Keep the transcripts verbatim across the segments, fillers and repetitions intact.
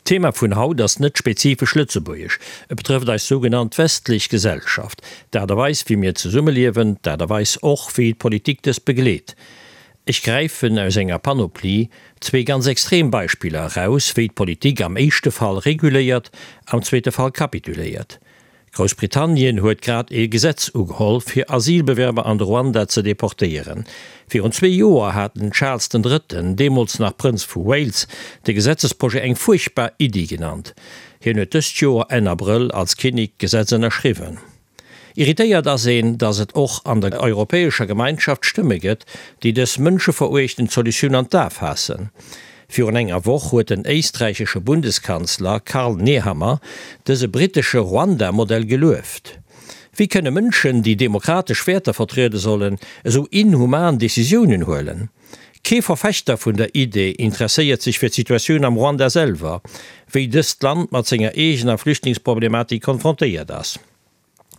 D'Thema vun haut ass net spezifesch lëtzebuergesch, et betrëfft eis sougenannt westlech Gesellschaft, d'Aart a Weis wéi mir zesummeliewen, d'Aart a Weis och wéi d'Politik dës begleet. Ech gräifen aus enger Panoplie zwee ganz extrem Beispiller eraus, wéi d'Politik am éischte Fall reguléiert, am zweete Fall kapituléiert. Groussbritannien huet grad ee Gesetz ugeholl, fir Asylbewerber an de Ruanda ze deportéieren. Virun zwee Joer hat den Charles den Drëtten, deemools nach Prënz vu Wales, de Gesetzesprojet eng fuerchtbar Iddi genannt. Hien huet dëst Joer Enn Abrëll als Kinnek d'Gesetz ënnerschriwwen. Irritéiert ass een, datt et och an der Europäescher Gemeinschaft Stëmme gëtt, déi dës mënscheveruechtend Solutioun an d'A faassen. Virun enger Woch huet den éisträichesche Bundeskanzler Karl Nehammer dëse brittesche Ruanda-Modell gelueft. Wéi kënne Mënschen, déi demokratesch Wäerter vertriede sollen, esou inhuman Decisiounen huelen? Kee Verfechter vun der Idee interesséiert sech fir d'Situatioun am Ruanda selwer, wéi dëst Land mat senger eegener Flüchtlingsproblematik konfrontéiert ass.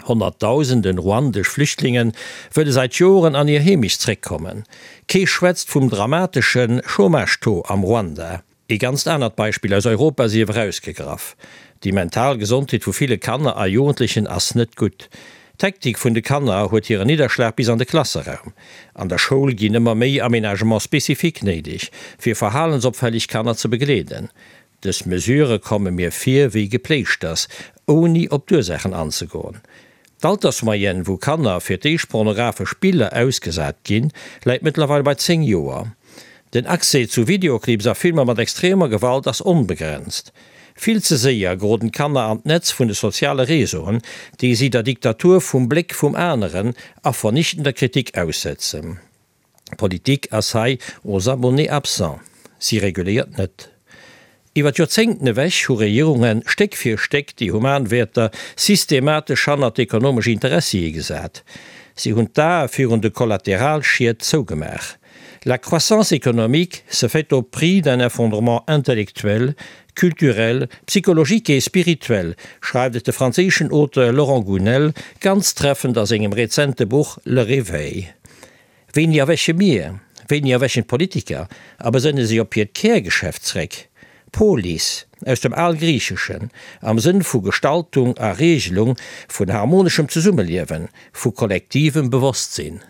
Honnertdausenden ruandesch Flüchtlingen wëlle säit Joren an hir Heemecht zréckkommen. Kee schwätzt vum dramatesche Chômage-Taux am Ruanda. Ee ganzt anert Beispill aus Europa sief erausgegraff, Déi mental Gesondheet vu ville Kanner a Jugendlechen ass net gutt. D'Hektik vun de Kanner huet hiren Nidderschlag bis an de Klasseraum. An der Schoul ginn ëmmer méi Aménagements spécifiques néideg, fir verhalensopfälleg Kanner ze begleeden. Dës Mesurë komme mir vir wéi Gepléischters, ouni op d'Ursaachen anzegoen. D'Altersmoyenne, wou Kanner fir d'éischt pornographesch Biller ausgesat ginn, läit mëttlerweil bei zéng Joer. Den Accès zu Videoclips a Filmer mat extremer Gewalt ass onbegrenzt. Vill ze séier geroden d'Kanner an d'Netz vun de soziale Réseauen, déi si der Diktatur vum Bléck vum aneren a vernichtender Kritik aussetzen. D'Politik ass hei aux abonnés absents, si reguléiert net. Iwwer d'Joerzéngten ewech hu Regierunge Stéck fir Stéck déi human Wäerter systematesch hannert ekonomesch Interessie gesat. Si hunn d'Ae virun de Kollateralschied zougemaach. La croissance économique se fait au prix d'un effondrement intellectuel, culturel, psychologique et spirituel, schreift et de franséischen Auteur Laurent Gounelle ganz treffend a sengem rezente Buch Le Réveil. Wéini erwäche mir? Wéini erwächen d'Politiker a besënne sech op hiert Kärgeschäft zréck? Polis, aus dem Algriicheschen, am Sënn vu Gestaltung a Reegelung, vun harmoneschem Zesummeliewen, vu kollektivem Bewosstsinn.